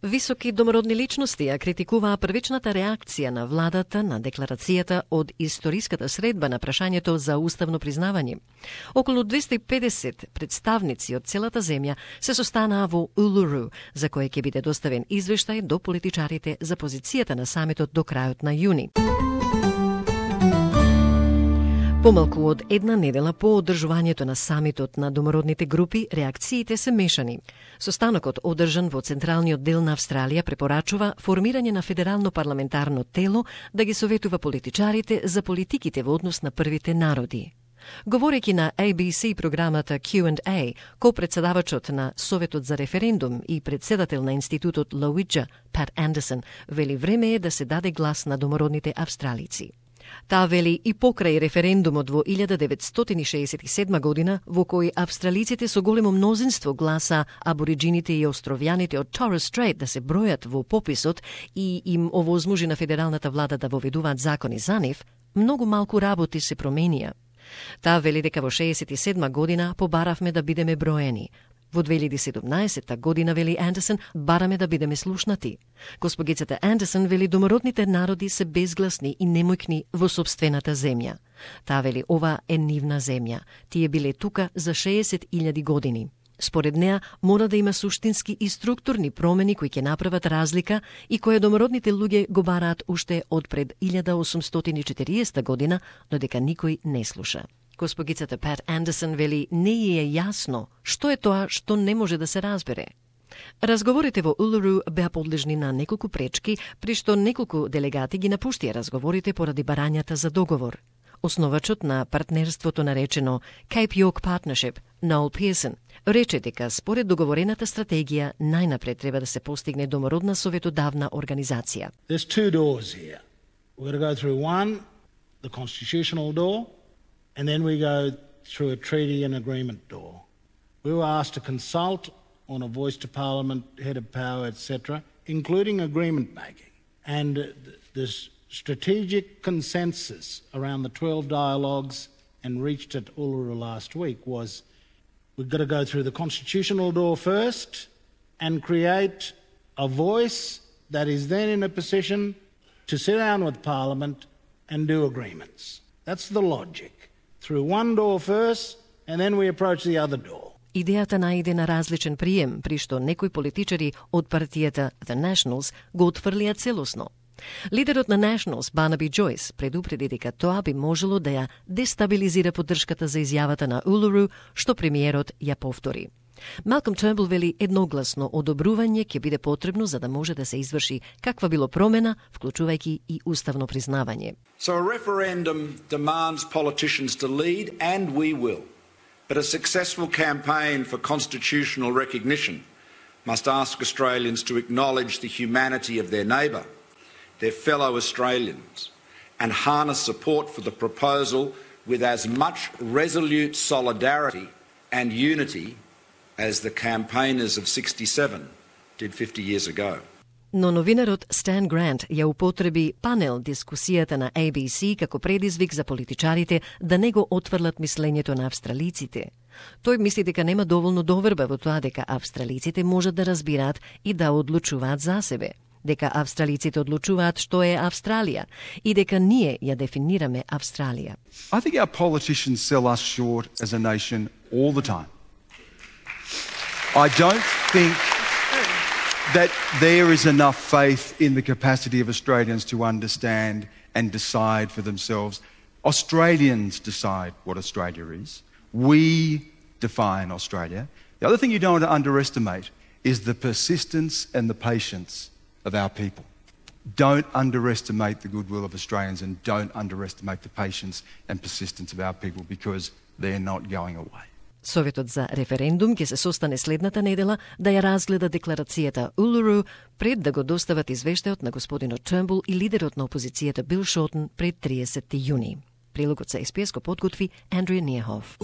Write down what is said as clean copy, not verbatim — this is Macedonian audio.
Високи домородни личности ја критикуваа првичната реакција на владата на декларацијата од историската средба на прашањето за уставно признавање. Околу 250 представници од целата земја се состанаа во Улуру, за кој ќе биде доставен извештај до политичарите за позицијата на самитот до крајот на јуни. Помалку од една недела по одржувањето на самитот на домородните групи, реакциите се мешани. Состанокот, одржан во централниот дел на Австралија, препорачува формирање на федерално парламентарно тело да ги советува политичарите за политиките во однос на првите народи. Говорејќи на ABC програмата Q&A, ко-председавачот на Советот за референдум и председател на институтот Лоуиджа, Пат Андерсон, вели време е да се даде глас на домородните австралици. Таа вели и покрај референдумот во 1967 година, во кој австралиците со големо мнозинство гласа абориджините и островјаните од Торres Strait да се бројат во пописот и им овозможи на федералната влада да воведуваат закони за нив, многу малку работи се променија. Таа вели дека во 67 година побаравме да бидеме броени. Во 2017 година, вели Андерсон, бараме да бидеме слушнати. Госпогицата Андерсон вели домородните народи се безгласни и немојкни во сопствената земја. Таа вели ова е нивна земја. Тие биле тука за 60.000 години. Според неа, мора да има суштински и структурни промени кои ќе направат разлика и кои домородните луѓе го бараат уште од пред 1840 година, но дека никој не слуша. Госпогицата Пат Андерсон вели не е јасно што е тоа што не може да се разбере. Разговорите во Улуру беа подлежни на неколку пречки, при што неколку делегати ги напуштија разговорите поради барањата за договор. Основачот на партнерството наречено Cape York Partnership, Noel Pearson, рече дека според договорената стратегија најнапред треба да се постигне домородна советодавна организација. There's two doors here. We're going to go through one, the constitutional door, and then we go through a treaty and agreement door. We were asked to consult on a voice to parliament, head of power, etc., including agreement making. And this strategic consensus around the 12 dialogues and reached at Uluru last week was we've got to go through the constitutional door first and create a voice that is then in a position to sit down with Parliament and do agreements. That's the logic. Through one door first and then we approach the other door. Идејата најде на различен прием, при што некои политичари од партијата The Nationals го отфрлија целосно. Лидерот на Nationals, Барнаби Джойс, предупреди дека тоа би можело да ја дестабилизира поддршката за изјавата на Улуру, што премиерот ја повтори. Малком Тернбул вели едногласно одобрување ќе биде потребно за да може да се изврши каква било промена, вклучувајќи и уставно признавање. So a referendum demands politicians to lead, and we will. But a successful campaign for constitutional recognition must ask Australians to acknowledge the humanity of their neighbour, their fellow Australians, and harness support for the proposal with as much resolute solidarity and unity as the campaigners of 67 did 50 years ago. Но новинарот Стан Грант ја употреби панел дискусијата на ABC како предизвик за политичарите да не го отфрлат мислењето на австралиците. Тој мисли дека нема доволно доверба во тоа дека австралиците можат да разбираат и да одлучуваат за себе, дека австралиците одлучуваат што е Австралија и дека ние ја дефинираме Австралија. I think our politicians sell us short as a nation all the time. I don't think that there is enough faith in the capacity of Australians to understand and decide for themselves. Australians decide what Australia is. We define Australia. The other thing you don't want to underestimate is the persistence and the patience of our people. Don't underestimate the goodwill of Australians and don't underestimate the patience and persistence of our people because they're not going away. Советот за референдум ќе се состане следната недела да ја разгледа декларацијата Улуру пред да го достават извештајот на господинот Тернбул и лидерот на опозицијата Бил Шортон пред 30 јуни. Прилогот за СПС го подготви Андрија Ниехов.